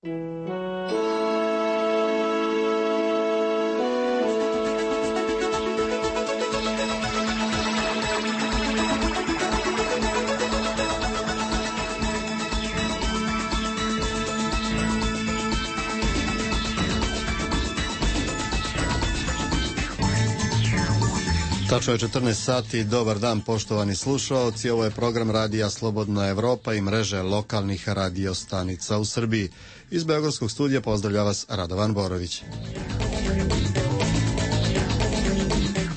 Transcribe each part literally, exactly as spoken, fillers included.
Tačno je četrnaest sati, dobar dan poštovani slušaoci, ovo je program Radija Slobodna Evropa i mreže lokalnih radiostanica u Srbiji. Iz Beogradskog studija pozdravlja vas Radovan Borović.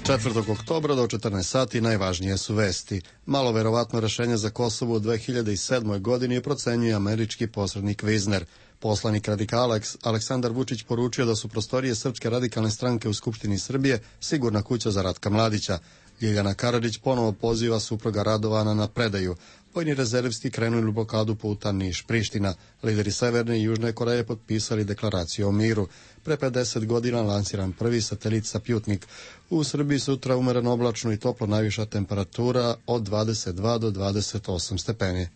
četvrtog oktobra do četrnaest sati najvažnije su vesti. Malo verovatno rešenje za Kosovo u dve hiljade sedmoj. godini procenjuje američki posrednik Vizner. Poslanik radikala Aleksandar Vučić poručio da su prostorije Srpske radikalne stranke u Skupštini Srbije sigurna kuća za Ratka Mladića. Ljiljana Karadžić ponovo poziva supruga Radovana na predaju. Vojni rezervisti krenuli u blokadu puta Niš-Priština. Lideri Severne i Južne Koreje potpisali deklaraciju o miru. Pre pedeset godina lansiran prvi satelit Saputnik. U Srbiji sutra umereno oblačno i toplo, najviša temperatura od dvadeset dva do dvadeset osam stepeni.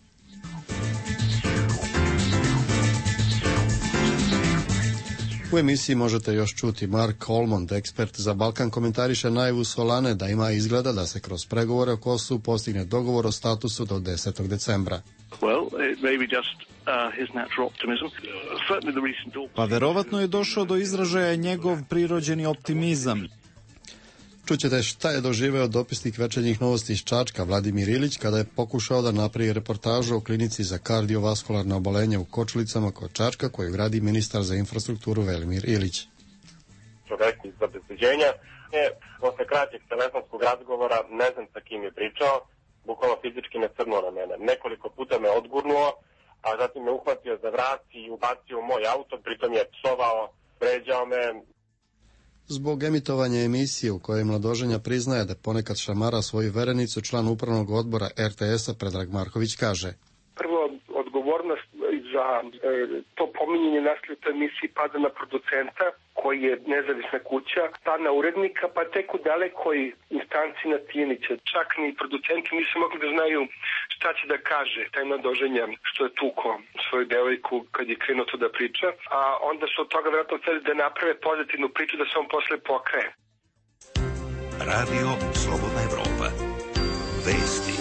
U emisiji možete još čuti Mark Olmond, ekspert za Balkan, komentariše najavu Solane da ima izgleda da se kroz pregovore o Kosovu postigne dogovor o statusu do desetog decembra. Pa verovatno je došao do izražaja njegov prirođeni optimizam. Čućete šta je doživeo dopisnik Večernjih novosti iz Čačka Vladimir Ilić kada je pokušao da napravi reportažu o klinici za kardiovaskularne obolenja u Kočulicama kod Čačka koju gradi ministar za infrastrukturu Velimir Ilić. Čovek iz obezbeđenja je posle kraćeg telefonskog razgovora, ne znam sa kim je pričao, bukvalno fizički me crnuo na mene. Nekoliko puta me odgurnuo, a zatim me uhvatio za vrat i ubacio u moj auto, pritom je psovao, vređao me. Zbog emitovanja emisije u kojoj mladoženja priznaje da ponekad šamara svoju verenicu, član upravnog odbora er te es-a Predrag Marković kaže: Prvo, odgovornost za e, to pominjanje nasilja u toj emisiji pada na producenta, koji je nezavisna kuća, pa na urednika, pa tek u dalekoj instanci na Tijanića. Čak ni producenti nisu mogli da znaju šta će da kaže taj mladoženja što je tuko svoju devojku kad je krenuo to da priča, a onda su od toga vjerojatno hteli da naprave pozitivnu priču da se on posle pokaje. Radio Slobodna Evropa. Vesti.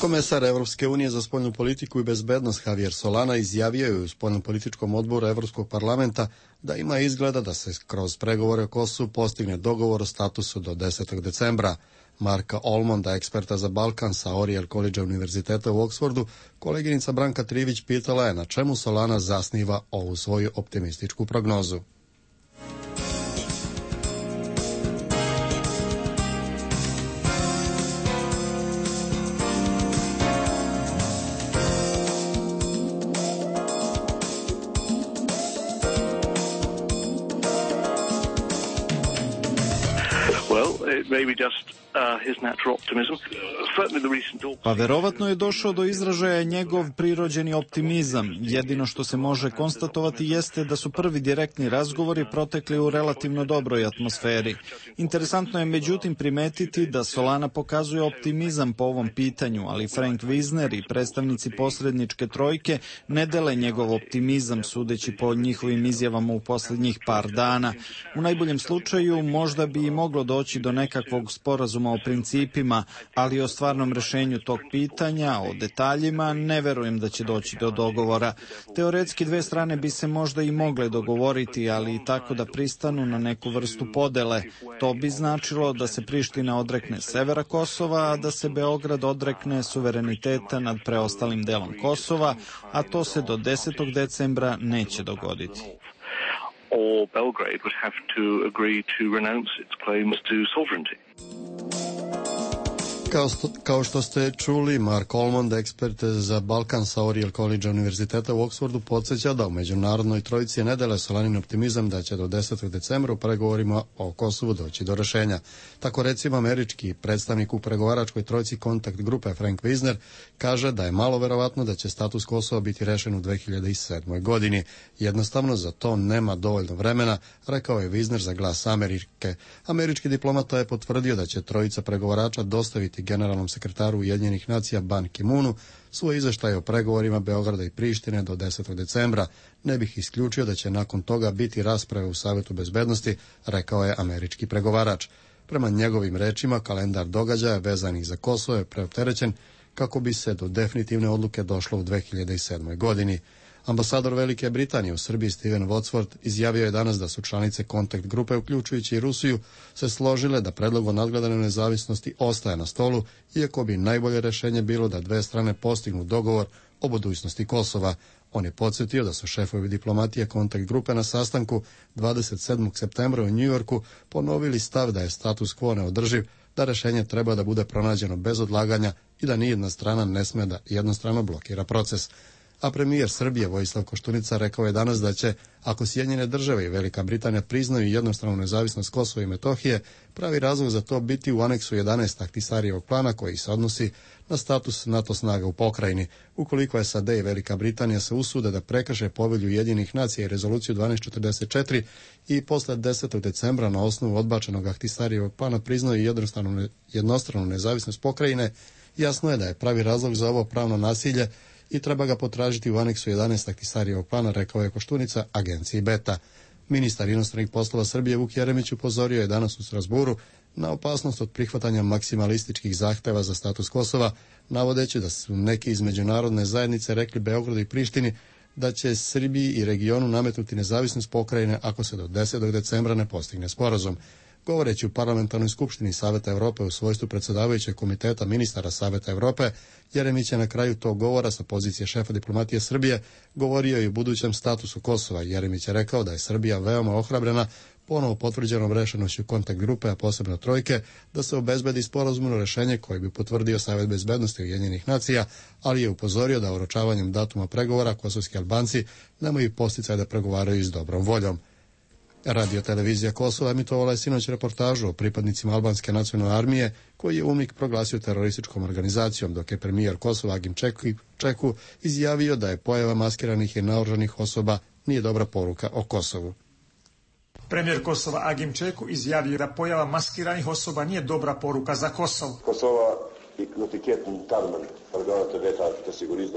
Komesar Evropske unije za spoljnu politiku i bezbednost Javier Solana izjavio je u spoljnopolitičkom odboru Evropskog parlamenta da ima izgleda da se kroz pregovore o Kosovu postigne dogovor o statusu do desetog decembra. Marka Olmonda, eksperta za Balkan sa Oriel College univerziteta u Oksfordu, koleginica Branka Trivić pitala je na čemu Solana zasniva ovu svoju optimističku prognozu. Pa verovatno je došao do izražaja njegov prirođeni optimizam. Jedino što se može konstatovati jeste da su prvi direktni razgovori protekli u relativno dobroj atmosferi. Interesantno je međutim primetiti da Solana pokazuje optimizam po ovom pitanju, ali Frank Wisner i predstavnici posredničke trojke ne dele njegov optimizam sudeći po njihovim izjavama u posljednjih par dana. U najboljem slučaju možda bi i moglo doći do nekakvog sporazuma o principima, ali o stvarnom rešenju tog pitanja, o detaljima, ne verujem da će doći do dogovora. Teoretski dve strane bi se možda i mogle dogovoriti, ali i tako da pristanu na neku vrstu podele. To bi značilo da se Priština odrekne severa Kosova, a da se Beograd odrekne suvereniteta nad preostalim delom Kosova, a to se do desetog decembra neće dogoditi. Or Belgrade would have to agree to renounce its claims to sovereignty. Kao, sto, kao što ste čuli, Mark Olmond, ekspert za Balkan sa Oriel College univerziteta u Oksfordu, podsjeća da u međunarodnoj trojici ne dele Solanin optimizam da će do desetog decembra u pregovorima o Kosovu doći do rešenja. Tako recimo američki predstavnik u pregovaračkoj trojici kontakt grupe Frank Wisner kaže da je malo verovatno da će status Kosova biti rešen u dve hiljade sedmoj. godini. Jednostavno za to nema dovoljno vremena, rekao je Wisner za Glas Amerike. Američki diplomata je potvrdio da će trojica pregovarača dostaviti generalnom sekretaru Ujedinjenih nacija Ban Ki-moonu svoj izveštaj o pregovorima Beograda i Prištine do desetog decembra. Ne bih isključio da će nakon toga biti rasprave u Savetu bezbednosti, rekao je američki pregovarač. Prema njegovim rečima, kalendar događaja vezanih za Kosovo je preopterećen kako bi se do definitivne odluke došlo u dve hiljade sedmoj. godini. Ambasador Velike Britanije u Srbiji Steven Wadsworth izjavio je danas da su članice kontakt grupe, uključujući i Rusiju, se složile da predlog o nadgledanoj nezavisnosti ostaje na stolu, iako bi najbolje rešenje bilo da dve strane postignu dogovor o budućnosti Kosova. On je podsjetio da su šefovi diplomatije kontakt grupe na sastanku dvadeset sedmog septembra u Njujorku ponovili stav da je status quo neodrživ, da rešenje treba da bude pronađeno bez odlaganja i da nijedna strana ne sme da jednostrano blokira proces. A premijer Srbije Vojislav Koštunica rekao je danas da će, ako Sjedinjene države i Velika Britanija priznaju jednostranu nezavisnost Kosova i Metohije, pravi razlog za to biti u aneksu jedanaest Ahtisarijevog plana koji se odnosi na status NATO snaga u pokrajini. Ukoliko S A D i Velika Britanija se usude da prekrše povelju Ujedinjenih nacija i rezoluciju dvanaest četrdeset četiri i posle desetog decembra na osnovu odbačenog Ahtisarijevog plana priznaju jednostranu, jednostranu nezavisnost pokrajine, jasno je da je pravi razlog za ovo pravno nasilje i treba ga potražiti u aneksu jedanaest Ahtisarijevog plana, rekao je Koštunica agenciji Beta. Ministar inostranih poslova Srbije Vuk Jeremić upozorio je danas u Strasburu na opasnost od prihvatanja maksimalističkih zahteva za status Kosova, navodeći da su neki iz međunarodne zajednice rekli Beogradu i Prištini da će Srbiji i regionu nametnuti nezavisnost pokrajine ako se do desetog decembra ne postigne sporazum. Govoreći u Parlamentarnoj skupštini Saveta Evrope u svojstvu predsjedavajućeg komiteta ministara Saveta Evrope, Jeremić je na kraju tog govora sa pozicije šefa diplomatije Srbije govorio i o budućem statusu Kosova. Jeremić je rekao da je Srbija veoma ohrabrena ponovo potvrđenom rešenošću kontakt grupe, a posebno trojke, da se obezbedi sporazumno rešenje koje bi potvrdio Savet bezbednosti Ujedinjenih nacija, ali je upozorio da oročavanjem datuma pregovora kosovski Albanci nemaju posticaj da pregovaraju s dobrom voljom. Radio televizija Kosova emitovala je sinoć reportažu o pripadnicima albanske nacionalne armije koji je UNMIK proglasio terorističkom organizacijom, dok je premijer Kosova Agim Čeku izjavio da je pojava maskiranih i naoružanih osoba nije dobra poruka o Kosovu. Premijer Kosova Agim Čeku izjavio da pojava maskiranih osoba nije dobra poruka za Kosovo. Kosova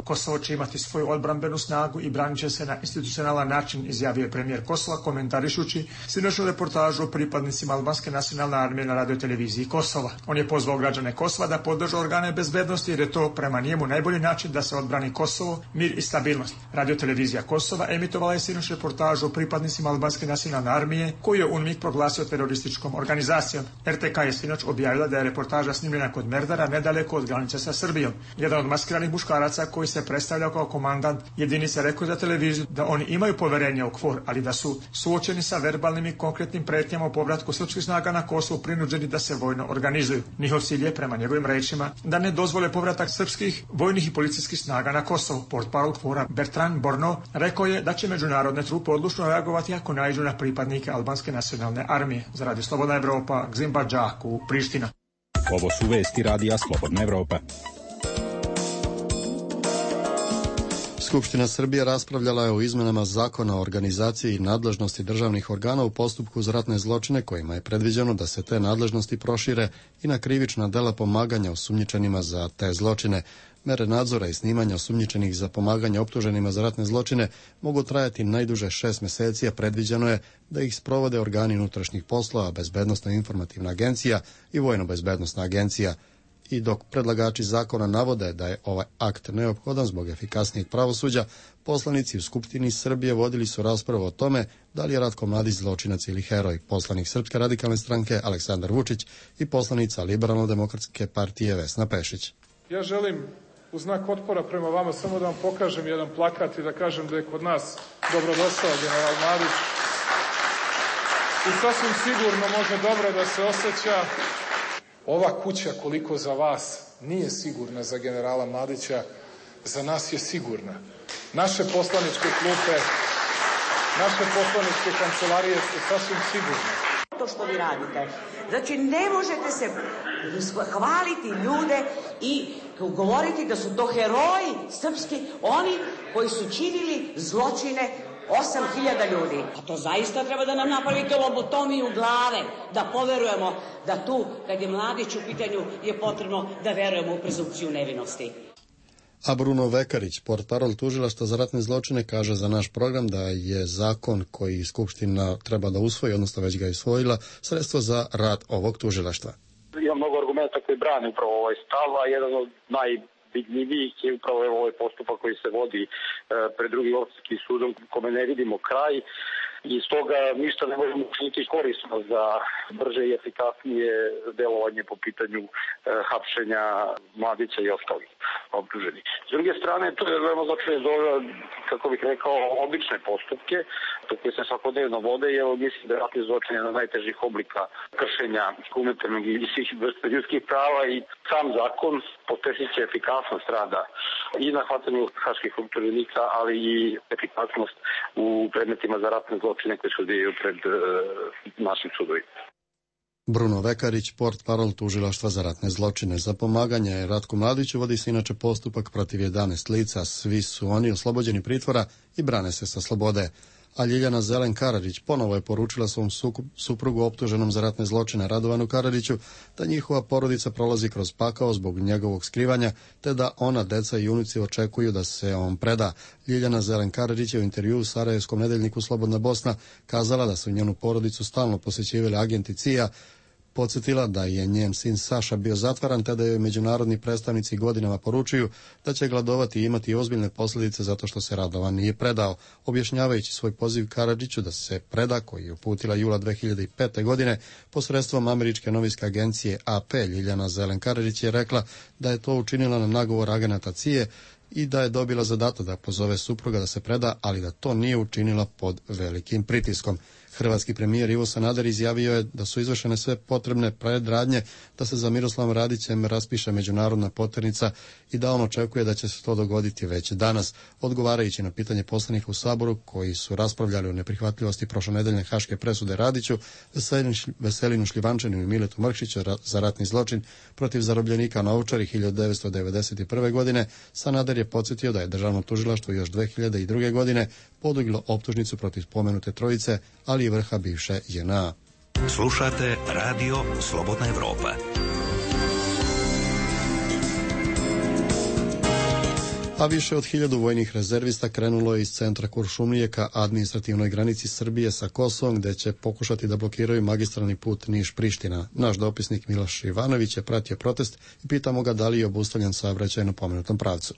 Kosovo će imati svoju odbrambenu snagu i branit će se na institucionalan način, izjavio je premijer Kosova komentarišući sinoćnu reportažu o pripadnicima albanske nacionalne armije na radioteleviziji Kosova. On je pozvao građane Kosova da podrže organe bezbednosti jer je to prema njemu najbolji način da se odbrani Kosovo, mir i stabilnost. Radiotelevizija Kosova emitovala je sinoć reportažu o pripadnicima albanske nacionalne armije koju je UNMIK proglasio terorističkom organizacijom. R T K je sinoć objavila da je reportaža snimljena kod Merdara, nedaleko od granice sa Srbijom. Jedan od maskiranih muškaraca koji se predstavljao kao komandant jedinice rekao za televiziju da oni imaju poverenje u KFOR, ali da su suočeni sa verbalnim i konkretnim pretnjama o povratku srpskih snaga na Kosovo prinuđeni da se vojno organizuju. Njihov cilj je, prema njegovim rečima, da ne dozvole povratak srpskih vojnih i policijskih snaga na Kosovo. Portparol KFOR-a Bertrand Borno rekao je da će međunarodne trupe odlučno reagovati ako naiđu na pripadnike albanske nacionalne armije. Za Radio Slobodna Evropa, Gzimba Džaku, Priština. Ovo su vesti Radija Slobodna Evropa. Skupština Srbije raspravljala je o izmenama zakona o organizaciji i nadležnosti državnih organa u postupku za ratne zločine kojima je predviđeno da se te nadležnosti prošire i na krivična dela pomaganja osumnjičenima za te zločine. Mere nadzora i snimanja osumnjičenih za pomaganje optuženima za ratne zločine mogu trajati najduže šest meseci, a predviđeno je da ih sprovode organi unutrašnjih poslova, Bezbednosna informativna agencija i Vojno-bezbednosna agencija. I dok predlagači zakona navode da je ovaj akt neophodan zbog efikasnijeg pravosuđa, poslanici u Skupštini Srbije vodili su raspravu o tome da li je Ratko Mladić zločinac ili heroj. Poslanik Srpske radikalne stranke Aleksandar Vučić i poslanica Liberalno-demokratske partije Vesna Pešić. Ja želim u znak otpora prema vama samo da vam pokažem jedan plakat i da kažem da je kod nas dobrodošao general Mladić i sasvim sigurno može dobro da se osjeća. Ova kuća, koliko za vas nije sigurna za generala Mladića, za nas je sigurna. Naše poslaničke klupe, naše poslaničke kancelarije su sasvim sigurne. To što vi radite. Znači, ne možete se hvaliti ljude i govoriti da su to heroji srpski, oni koji su činili zločine osam hiljada ljudi. A to zaista treba da nam napravite lobotomiju glave, da poverujemo da tu, kad je Mladić u pitanju, je potrebno da verujemo u prezumpciju nevinosti. A Bruno Vekarić, portparol tužilaštva za ratne zločine, kaže za naš program da je zakon koji Skupština treba da usvoji, odnosno već ga je usvojila, sredstvo za rad ovog tužilaštva. Ima mnogo argumenta koji brane upravo ovaj stav, a jedan od najvidljivijih je upravo ovaj postupak koji se vodi pred drugim opštinskim sudom, kome ne vidimo kraj. I stoga ništa ne možemo učiniti korisno za brže i efikasnije delovanje po pitanju e, hapšenja Mladića i ostalih optuženih. S druge strane, to je veoma značajno za ove, kako bih rekao, obične postupke, koje se svakodnevno vode, i evo mislim da je ratni zločin jedan od najtežih oblika kršenja humanitarnog i svih vrsta ljudskih prava, i sam zakon pospešit efikasnost rada i na hvatanju haških optuženika, ali i efikasnost u predmetima za ratne zločine koje se odvijaju pred uh, našim sudovima. Bruno Vekarić, portparol tužilaštva za ratne zločine. Za pomaganje Ratku Mladiću vodi se inače postupak protiv jedanaest lica. Svi su oni oslobođeni pritvora i brane se sa slobode. A Ljiljana Zelen Karadžić ponovo je poručila svom suprugu optuženom za ratne zločine Radovanu Karadžiću da njihova porodica prolazi kroz pakao zbog njegovog skrivanja, te da ona, deca i unuci očekuju da se on preda. Ljiljana Zelen Karadžić je u intervjuu u Sarajevskom nedeljniku Slobodna Bosna kazala da su njenu porodicu stalno posjećivali agenti C I A, podsjetila da je njen sin Saša bio zatvaran, te da joj međunarodni predstavnici godinama poručuju da će gladovati i imati ozbiljne posljedice zato što se Radovan nije predao. Objašnjavajući svoj poziv Karadžiću da se preda, koji je uputila jula dve hiljade pete. godine posredstvom američke novinske agencije A P, Ljiljana Zelen Karadžić je rekla da je to učinila na nagovor agenata C I A i da je dobila zadatak da pozove supruga da se preda, ali da to nije učinila pod velikim pritiskom. Hrvatski premijer Ivo Sanader izjavio je da su izvršene sve potrebne predradnje da se za Miroslavom Radićem raspiše međunarodna poternica i da on očekuje da će se to dogoditi već danas. Odgovarajući na pitanje poslanika u Saboru koji su raspravljali o neprihvatljivosti prošlonedeljne haške presude Radiću, Veselinu Šljivančaninu i Miletu Mrkšiću za ratni zločin protiv zarobljenika na Ovčari hiljadu devetsto devedeset prve. godine, Sanader je podsjetio da je državno tužilaštvo još dve hiljade druge. godine podiglo optužnicu protiv spomenute trojice, ali i vrha bivše J N A. Slušate Radio Slobodna Evropa. A više od hiljadu vojnih rezervista krenulo je iz centra Kuršumlije ka administrativnoj granici Srbije sa Kosovom, gde će pokušati da blokiraju magistralni put Niš-Priština. Naš dopisnik Miloš Ivanović je pratio protest i pitamo ga da li je obustavljen saobraćaj na pomenutom pravcu.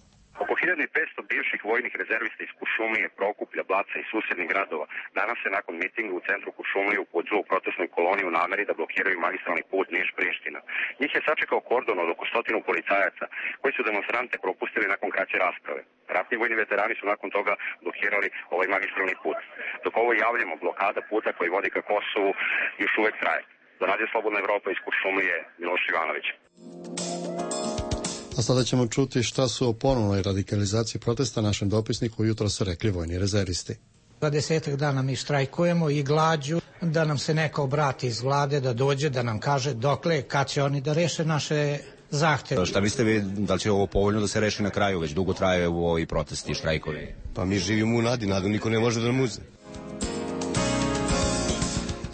hiljadu petsto bivših vojnih rezervista iz Kuršumlije, Prokuplja, Blaca i susjednih gradova danas se nakon mitinga u centru Kuršumlije upućuju u protestnoj koloni u nameri da blokiraju magistralni put Niš-Priština. Njih je sačekao kordon od oko stotinu policajaca koji su demonstrante propustili nakon kraće rasprave. Ratni vojni veterani su nakon toga blokirali ovaj magistralni put. Dok ovo javljamo, blokada puta koji vodi ka Kosovu još uvek traje. Za Radio Slobodna Evropa iz Kuršumlije, Miloš Ivanović. A sada ćemo čuti šta su o ponovnoj radikalizaciji protesta našem dopisniku jutro su rekli vojni rezervisti. Za desetak dana mi štrajkujemo i glađu da nam se neko obrati iz vlade, da dođe, da nam kaže dokle, kad će oni da reše naše zahteve. Šta mislite vi, da li će ovo povoljno da se reši na kraju? Već dugo traje u ovi protesti i štrajkovi. Pa mi živimo u nadi, nadu niko ne može da nam uzme.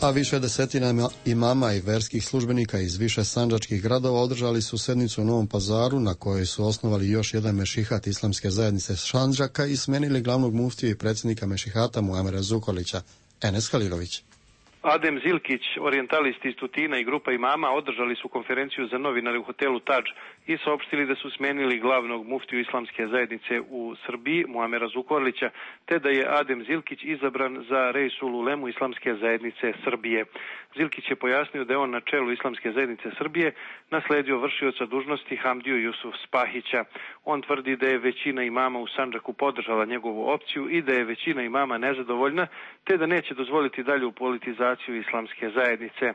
A više desetina imama i verskih službenika iz više sandžačkih gradova održali su sednicu u Novom Pazaru na kojoj su osnovali još jedan mešihat islamske zajednice Sandžaka i smenili glavnog muftiju i predsjednika mešihata Muamera Zukorlića. Enes Halilović. Adem Zilkić, orijentalist iz Tutina i grupa imama održali su konferenciju za novinare u hotelu Tadž i saopštili da su smenili glavnog muftiju islamske zajednice u Srbiji, Muamera Zukorlića, te da je Adem Zilkić izabran za Reisul Ulemu islamske zajednice Srbije. Zilkić je pojasnio da je on na čelu islamske zajednice Srbije nasledio vršioca dužnosti Hamdiju Jusuf Spahića. On tvrdi da je većina imama u Sandžaku podržala njegovu opciju i da je većina imama nezadovoljna, te da neće dozvoliti dalju politizaciju islamske zajednice.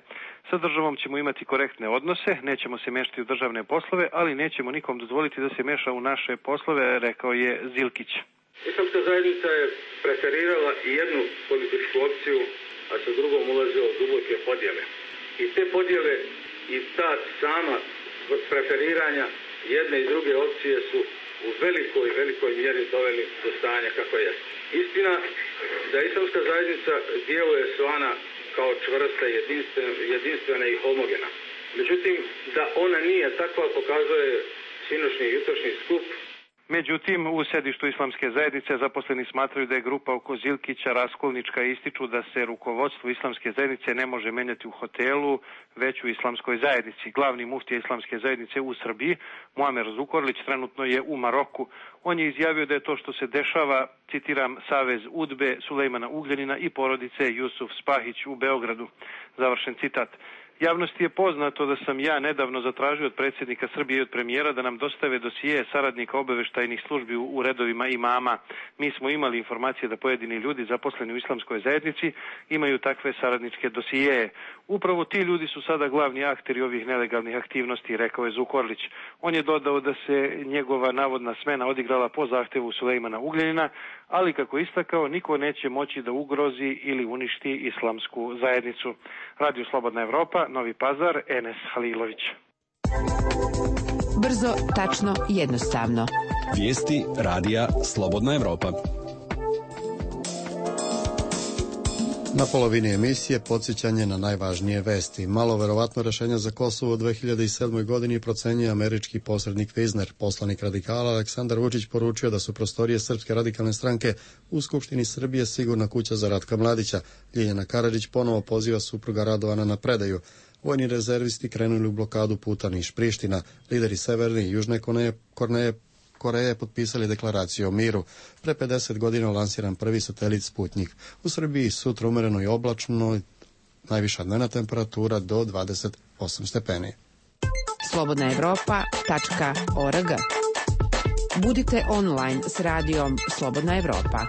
Sa državom ćemo imati korektne odnose, nećemo se mešati u državne poslove, ali nećemo nikom dozvoliti da se meša u naše poslove, rekao je Zilkić. Islamska zajednica je preferirala i jednu političku opciju, a sa drugom ulazila u duboke podjele. I te podjele i ta sama preferiranja jedne i druge opcije su u velikoj, velikoj mjeri doveli do stanja kako je. Istina da islamska zajednica djeluje svana kao čvrsta, jedinstvena, jedinstvena i homogena. Međutim, da ona nije takva pokazuje sinoćni i jutrošnji skup. Međutim, u sedištu islamske zajednice zaposleni smatraju da je grupa oko Zilkića raskolnička i ističu da se rukovodstvo islamske zajednice ne može menjati u hotelu, već u islamskoj zajednici. Glavni muftija islamske zajednice u Srbiji, Muamer Zukorlić, trenutno je u Maroku. On je izjavio da je to što se dešava, citiram, savez Udbe, Sulejmana Ugljanina i porodice Jusuf Spahić u Beogradu. Završen citat. Javnosti je poznato da sam ja nedavno zatražio od predsjednika Srbije i od premijera da nam dostave dosije saradnika obaveštajnih službi u redovima imama. Mi smo imali informacije da pojedini ljudi zaposleni u islamskoj zajednici imaju takve saradničke dosijeje. Upravo ti ljudi su sada glavni akteri ovih nelegalnih aktivnosti, rekao je Zukorlić. On je dodao da se njegova navodna smena odigrala po zahtevu Sulejmana Ugljanina, ali kako istakao, niko neće moći da ugrozi ili uništi islamsku zajednicu. Radio Slobodna Evropa, Novi Pazar, Enes Halilović. Brzo, tačno, jednostavno. Vijesti radija Slobodna Evropa. Na polovini emisije podsjećanje na najvažnije vesti. Malo verovatno rešenje za Kosovo u dve hiljade sedmoj godini procenjuje američki posrednik Vizner. Poslanik radikala Aleksandar Vučić poručio da su prostorije Srpske radikalne stranke u Skupštini Srbije sigurna kuća za Ratka Mladića. Ljiljana Karadžić ponovo poziva supruga Radovana na predaju. Vojni rezervisti krenuli u blokadu puta Niš-Priština. Lideri Severne i Južne Koreje Koreje potpisali deklaraciju o miru. Pre pedeset godina lansiran prvi satelit Sputnjik. U Srbiji sutra umereno i oblačno, najviša dnevna temperatura do dvadeset osam stepeni. slobodna evropa tačka org. Budite online s radijom Slobodna Evropa.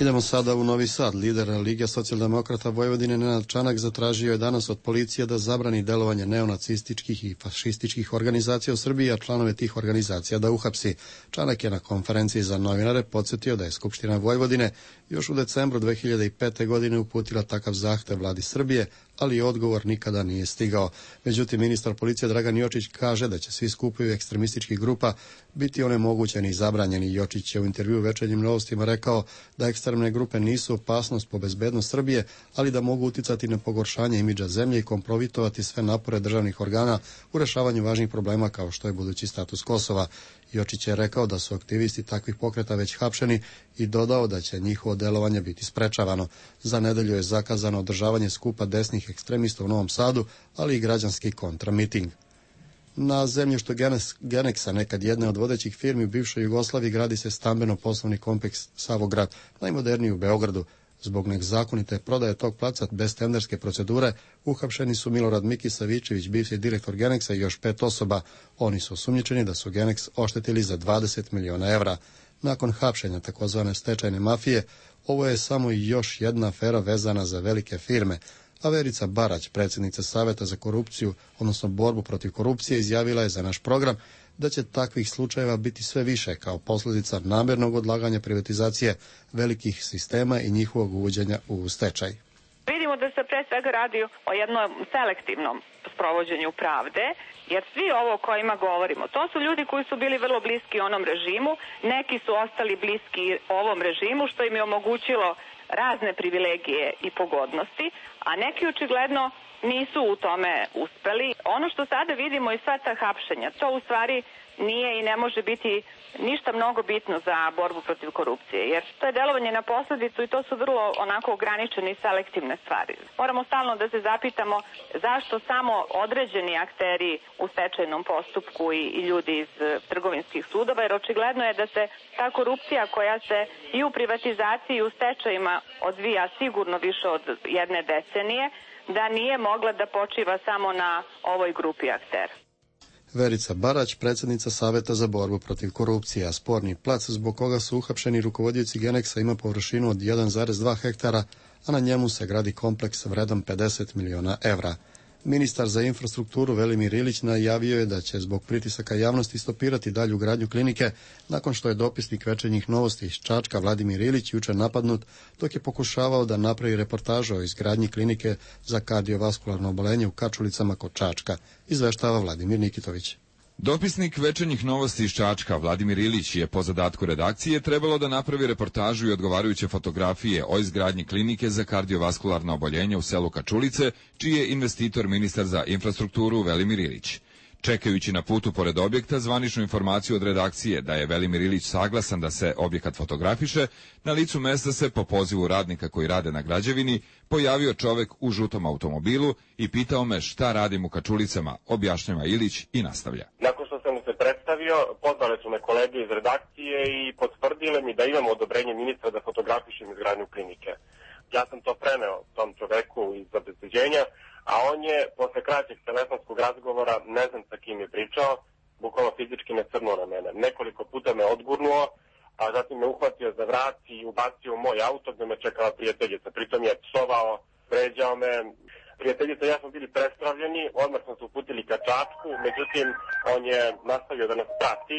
Idemo sada u Novi Sad. Lider Lige socijaldemokrata Vojvodine Nenad Čanak zatražio je danas od policije da zabrani delovanje neonacističkih i fašističkih organizacija u Srbiji, a članove tih organizacija da uhapsi. Čanak je na konferenciji za novinare podsjetio da je Skupština Vojvodine još u decembru dve hiljade pete. godine uputila takav zahtev vladi Srbije, ali odgovor nikada nije stigao. Međutim, ministar policije Dragan Jočić kaže da će svi skupovi ekstremističkih grupa biti onemogućeni i zabranjeni. Jočić je u intervjuu Večernjim novostima rekao da ekstremne grupe nisu opasnost po bezbednost Srbije, ali da mogu uticati na pogoršanje imidža zemlje i kompromitovati sve napore državnih organa u rešavanju važnih problema kao što je budući status Kosova. Jočić je rekao da su aktivisti takvih pokreta već hapšeni i dodao da će njihovo delovanje biti sprečavano. Za nedelju je zakazano održavanje skupa desnih ekstremista u Novom Sadu, ali i građanski kontramiting. Na zemljištu Geneksa, nekad jedne od vodećih firmi u bivšoj Jugoslaviji, gradi se stambeno-poslovni kompleks Savograd, najmoderniji u Beogradu. Zbog nezakonite prodaje tog placa bez tenderske procedure uhapšeni su Milorad Miki Savičević, bivši direktor Geneksa, i još pet osoba. Oni su osumnjičeni da su Geneks oštetili za dvadeset miliona evra. Nakon hapšenja takozvane stečajne mafije, ovo je samo još jedna afera vezana za velike firme. A Verica Barać, predsjednica Saveta za korupciju, odnosno borbu protiv korupcije, izjavila je za naš program da će takvih slučajeva biti sve više kao posljedica namjernog odlaganja privatizacije velikih sistema i njihovog uvođenja u stečaj. Vidimo da se pre svega radi o jednom selektivnom sprovođenju pravde, jer svi ovo o kojima govorimo, to su ljudi koji su bili vrlo bliski onom režimu, neki su ostali bliski ovom režimu, što im je omogućilo razne privilegije i pogodnosti, a neki očigledno nisu u tome uspeli. Ono što sada vidimo i sva ta hapšenja, to u stvari nije i ne može biti ništa mnogo bitno za borbu protiv korupcije, jer to je delovanje na posledicu i to su vrlo onako ograničene i selektivne stvari. Moramo stalno da se zapitamo zašto samo određeni akteri u stečajnom postupku i, i ljudi iz trgovinskih sudova, jer očigledno je da se ta korupcija koja se i u privatizaciji i u stečajima odvija sigurno više od jedne decenije, da nije mogla da počiva samo na ovoj grupi aktera. Verica Barać, predsjednica Saveta za borbu protiv korupcije, a sporni plac zbog koga su uhapšeni rukovodioci Geneksa ima površinu od jedan zarez dva hektara, a na njemu se gradi kompleks vredan pedeset miliona evra. Ministar za infrastrukturu Velimir Ilić najavio je da će zbog pritisaka javnosti stopirati dalju gradnju klinike nakon što je dopisnik Večernjih novosti iz Čačka Vladimir Ilić jučer napadnut dok je pokušavao da napravi reportažu o izgradnji klinike za kardiovaskularno obolenje u Kačulicama kod Čačka, izveštava Vladimir Nikitović. Dopisnik Večernjih novosti iz Čačka Vladimir Ilić je po zadatku redakcije trebalo da napravi reportažu i odgovarajuće fotografije o izgradnji klinike za kardiovaskularno oboljenje u selu Kačulice, čiji je investitor ministar za infrastrukturu Velimir Ilić. Čekajući na putu pored objekta zvaničnu informaciju od redakcije da je Velimir Ilić saglasan da se objekat fotografiše, na licu mesta se po pozivu radnika koji rade na građevini pojavio čovek u žutom automobilu i pitao me šta radim u Kačulicama, objašnjava Ilić i nastavlja. Nakon što sam mu se predstavio, pozvale su me kolege iz redakcije i potvrdile mi da imamo odobrenje ministra da fotografišem izgradnju klinike. Ja sam to preneo tom čoveku iz obezbeđenja, a on je posle kraćeg telefonskog razgovora, ne znam sa kim je pričao, bukvalno fizički me crnuo na mene. Nekoliko puta me odgurnuo, a zatim me uhvatio za vrat i ubacio u moj auto gde me čekala prijateljica. Pritom je psovao, vređao me. Prijateljica i ja smo bili prestravljeni, odmah smo se uputili ka Čačku, međutim on je nastavio da nas prati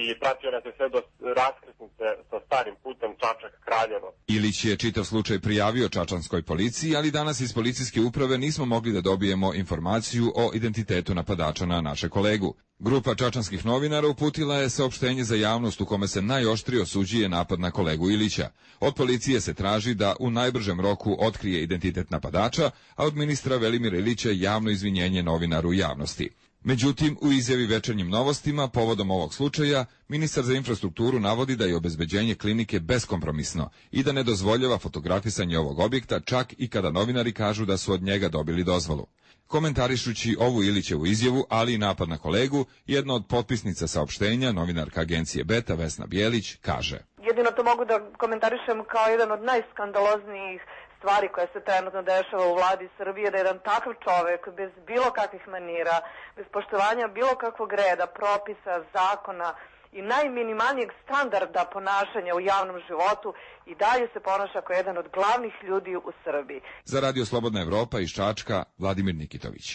i pratio nas je sve do raskrsnice sa starim putem Čačak-Kraljevo. Ilić je čitav slučaj prijavio čačanskoj policiji, ali danas iz policijske uprave nismo mogli da dobijemo informaciju o identitetu napadača na naše kolegu. Grupa čačanskih novinara uputila je saopštenje za javnost u kome se najoštrije osuđuje napad na kolegu Ilića. Od policije se traži da u najbržem roku otkrije identitet napadača, a od ministra Velimira Ilića javno izvinjenje novinaru u javnosti. Međutim, u izjavi Večernjim novostima povodom ovog slučaja, ministar za infrastrukturu navodi da je obezbeđenje klinike beskompromisno i da ne dozvoljava fotografisanje ovog objekta čak i kada novinari kažu da su od njega dobili dozvolu. Komentarišući ovu Ilićevu izjavu, ali i napad na kolegu, jedna od potpisnica saopštenja, novinarka agencije Beta Vesna Bijelić, kaže: Jedino to mogu da komentarišem kao jedan od najskandaloznijih stvari koja se trenutno dešava u vladi Srbije, da jedan takav čovek bez bilo kakvih manira, bez poštovanja bilo kakvog reda, propisa, zakona i najminimalnijeg standarda ponašanja u javnom životu i dalje se ponaša kao jedan od glavnih ljudi u Srbiji. Za Radio Slobodna Evropa iz Čačka, Vladimir Nikitović.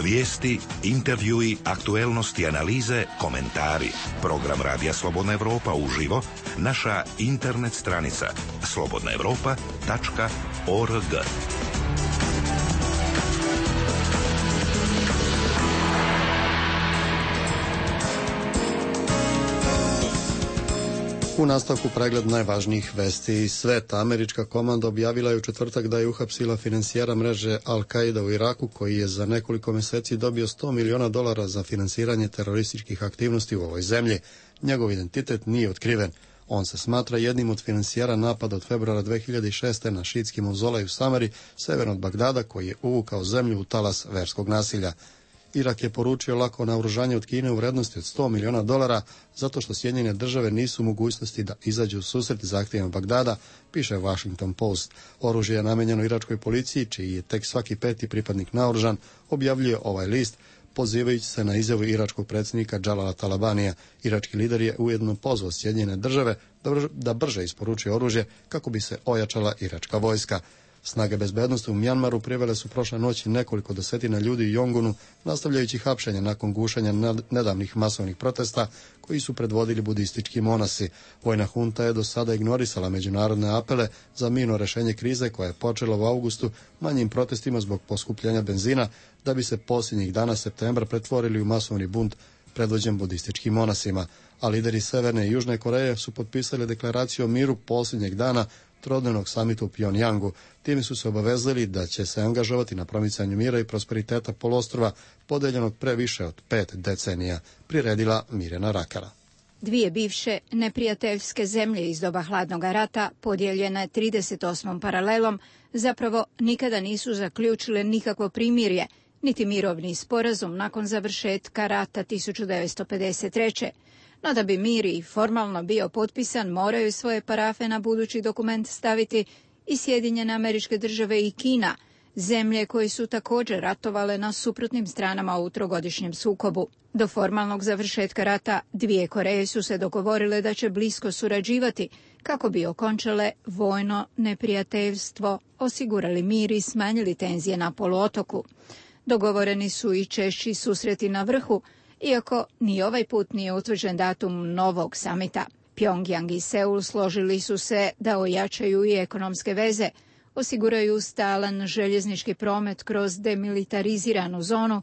Vijesti, intervjui, aktuelnosti, analize, komentari. Program Radija Slobodna Evropa uživo, naša internet stranica slobodna evropa tačka org. U nastavku pregled najvažnijih vesti iz sveta. Američka komanda objavila je u četvrtak da je uhapsila finansijera mreže Al-Qaida u Iraku, koji je za nekoliko meseci dobio sto miliona dolara za finansiranje terorističkih aktivnosti u ovoj zemlji. Njegov identitet nije otkriven. On se smatra jednim od finansijera napada od februara dve hiljade šeste. na šiitski mauzolej u Samari, severno od Bagdada, koji je uvukao zemlju u talas verskog nasilja. Irak je poručio lako naoružanje od Kine u vrednosti od sto miliona dolara zato što Sjedinjene države nisu u mogućnosti da izađu u susret zahtjevima Bagdada, piše Washington Post. Oružje je namenjeno iračkoj policiji, čiji je tek svaki peti pripadnik naoružan, objavljuje ovaj list, pozivajući se na izjavu iračkog predsjednika Džalala Talabanija. Irački lider je ujedno pozvao Sjedinjene države da brže isporuči oružje kako bi se ojačala iračka vojska. Snage bezbednosti u Mjanmaru privele su prošle noći nekoliko desetina ljudi u Yongunu, nastavljajući hapšenje nakon gušenja nedavnih masovnih protesta koji su predvodili budistički monasi. Vojna hunta je do sada ignorisala međunarodne apele za mirno rešenje krize koja je počela u avgustu manjim protestima zbog poskupljenja benzina, da bi se posljednjih dana septembra pretvorili u masovni bunt predvođen budističkim monasima. A lideri Severne i Južne Koreje su potpisali deklaraciju o miru posljednjeg dana trodnevnog samita u Pjongjangu. Time su se obavezali da će se angažovati na promicanju mira i prosperiteta poluostrva podeljenog pre više od pet decenija, priredila Mirjana Rakara. Dvije bivše neprijateljske zemlje iz doba hladnog rata, podijeljene trideset osmom paralelom, zapravo nikada nisu zaključile nikakvo primirje, niti mirovni sporazum nakon završetka rata tisuću devetsto pedeset treće. No da bi mir i formalno bio potpisan, moraju svoje parafe na budući dokument staviti i Sjedinjene Američke Države i Kina, zemlje koje su također ratovale na suprotnim stranama u trogodišnjem sukobu. Do formalnog završetka rata dvije Koreje su se dogovorile da će blisko surađivati kako bi okončale vojno neprijateljstvo, osigurali mir i smanjili tenzije na poluotoku. Dogovoreni su i češći susreti na vrhu, iako ni ovaj put nije utvrđen datum novog samita. Pjongjang i Seul složili su se da ojačaju i ekonomske veze, osiguraju stalan željeznički promet kroz demilitariziranu zonu,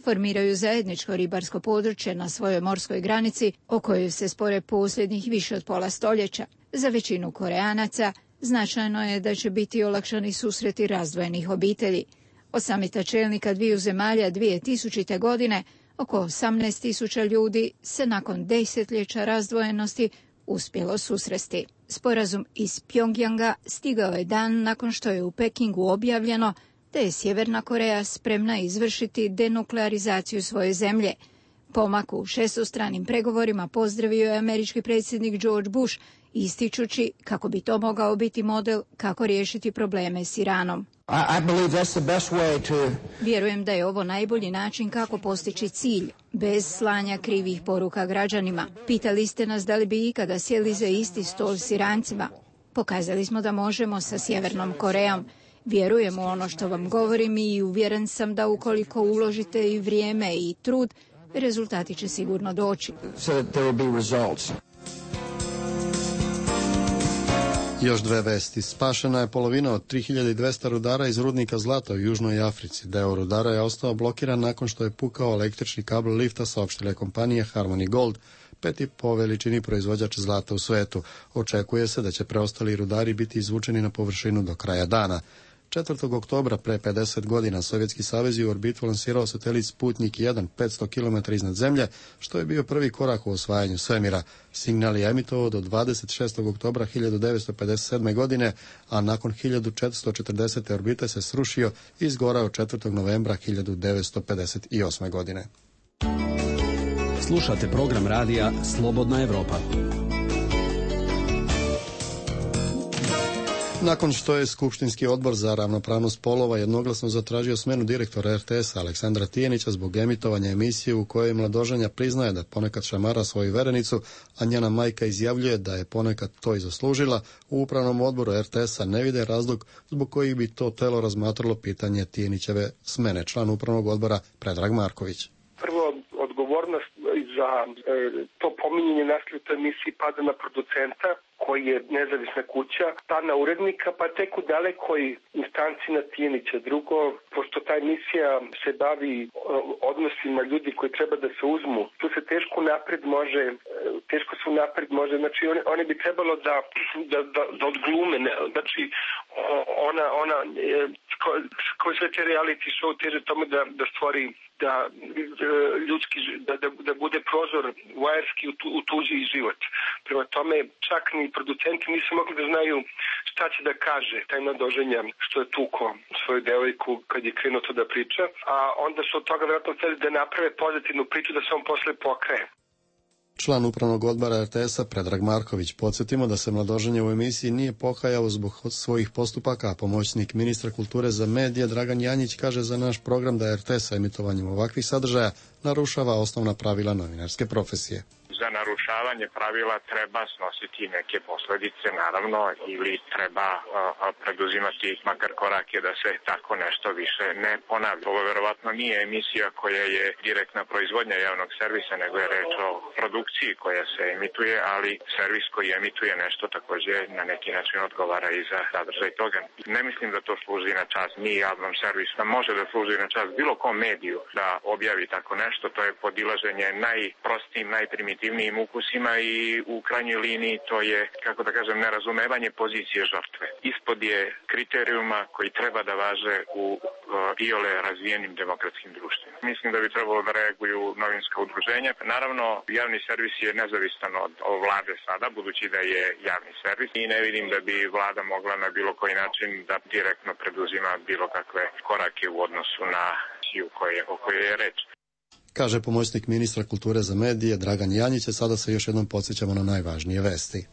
formiraju zajedničko ribarsko područje na svojoj morskoj granici, o kojoj se spore posljednjih više od pola stoljeća. Za većinu Koreanaca značajno je da će biti olakšani susreti razdvojenih obitelji. Od samita čelnika dviju zemalja dvije tisućite. godine oko osamnaest tisuća ljudi se nakon desetljeća razdvojenosti uspjelo susresti. Sporazum iz Pjongjanga stigao je dan nakon što je u Pekingu objavljeno da je Sjeverna Koreja spremna izvršiti denuklearizaciju svoje zemlje. Pomak u šestostranim pregovorima pozdravio je američki predsjednik George Bush, ističući kako bi to mogao biti model kako riješiti probleme s Iranom. I believe that's the best way to... Vjerujem da je ovo najbolji način kako postići cilj, bez slanja krivih poruka građanima. Pitali ste nas da li bi ikada sjeli za isti stol s Irancima. Pokazali smo da možemo sa Sjevernom Korejom. Vjerujem u ono što vam govorim i uvjeren sam da ukoliko uložite i vrijeme i trud, rezultati će sigurno doći. So that there will be results. Još dve vesti. Spašena je polovina od tri hiljade dvesta rudara iz rudnika zlata u Južnoj Africi. Deo rudara je ostao blokiran nakon što je pukao električni kabel lifta, saopštila je kompanija Harmony Gold, peti po veličini proizvođač zlata u svetu. Očekuje se da će preostali rudari biti izvučeni na površinu do kraja dana. četvrtog oktobra pre pedeset godina Sovjetski savez je u orbitu lansirao satelit Sputnik jedan petsto kilometara iznad zemlje, što je bio prvi korak u osvajanju svemira. Signal je emitovao do dvadeset šestog oktobra hiljadu devetsto pedeset sedme. godine, a nakon hiljadu četiristo četrdesete. orbite se srušio i izgorao četvrtog novembra hiljadu devetsto pedeset osme. godine. Slušate program radija Slobodna Evropa. Nakon što je Skupštinski odbor za ravnopravnost spolova jednoglasno zatražio smenu direktora er te es-a Aleksandra Tijenića zbog emitovanja emisije u kojoj mladoženja priznaje da ponekad šamara svoju verenicu, a njena majka izjavljuje da je ponekad to i zaslužila, u upravnom odboru er te es-a ne vide razlog zbog kojih bi to telo razmatralo pitanje Tijenićeve smene. Član upravnog odbora Predrag Marković. Prvo, odgovornost za e, to pominjanje nasilja u toj emisiji pada na producenta, koji je nezavisna kuća, pa na urednika, pa tek u dalekoj instanci na Tijenića. Drugo, pošto ta emisija se bavi odnosima ljudi koji treba da se uzmu, tu se teško napred može, teško se napred može, znači one, one bi trebalo da, da, da, da odglume, znači ona, ona koji sve te reality show teže tome da, da stvori da ljudski, da, da, da bude prozor vajerski u, tu, u tuđi život. Prema tome, čak ni producenti nisu mogli da znaju šta će da kaže taj mladoženja što je tuko svoju devojku kad je krenuo to da priča, a onda su od toga vjerojatno hteli da naprave pozitivnu priču da se on posle pokraje. Član upravnog odbora er te es-a Predrag Marković. Podsjetimo da se mladoženje u emisiji nije pokajao zbog svojih postupaka, a pomoćnik ministra kulture za medije Dragan Janjić kaže za naš program da er te es emitovanjem ovakvih sadržaja narušava osnovna pravila novinarske profesije. Za narušavanje pravila treba snositi neke posljedice, naravno, ili treba a, a, preduzimati makar korake da se tako nešto više ne ponavlja. Ovo verovatno nije emisija koja je direktna proizvodnja javnog servisa, nego je reč o produkciji koja se emituje, ali servis koji emituje nešto također na neki način odgovara i za sadržaj toga. Ne mislim da to služi na čast ni javnom servisu, da može da služi na čast bilo kom mediju da objavi tako nešto. To je podilaženje najprostijim, najprimitivnijim ukusima i u krajnjoj liniji to je, kako da kažem, nerazumevanje pozicije žrtve. Ispod je kriterijuma koji treba da važe u uh, iole razvijenim demokratskim društvima. Mislim da bi trebalo da reaguju novinska udruženja. Naravno, javni servis je nezavistan od, od vlade sada, budući da je javni servis i ne vidim da bi vlada mogla na bilo koji način da direktno preduzima bilo kakve korake u odnosu na siju koje, o kojoj je reč. Kaže pomoćnik ministra kulture za medije Dragan Janjić. Sada se još jednom podsjećamo na najvažnije vesti.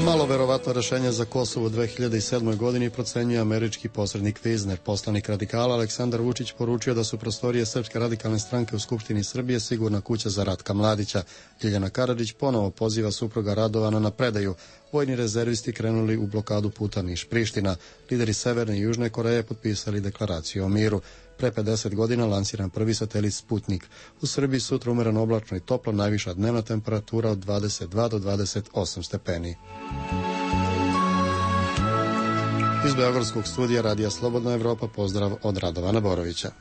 Malo verovatno rešenje za Kosovo u dve hiljade sedmoj. godini procenjuje američki posrednik Vizner. Poslanik radikala Aleksandar Vučić poručio da su prostorije Srpske radikalne stranke u Skupštini Srbije sigurna kuća za Ratka Mladića. Ljiljana Karadžić ponovo poziva supruga Radovana na predaju. Vojni rezervisti krenuli u blokadu puta Niš-Priština. Lideri Severne i Južne Koreje potpisali deklaraciju o miru. Pre pedeset godina lansiran prvi satelit Sputnik. U Srbiji sutra umereno oblačno i toplo, najviša dnevna temperatura od dvadeset dva do dvadeset osam stepeni. Iz Beogradskog studija Radija Slobodna Evropa pozdrav od Radovana Borovića.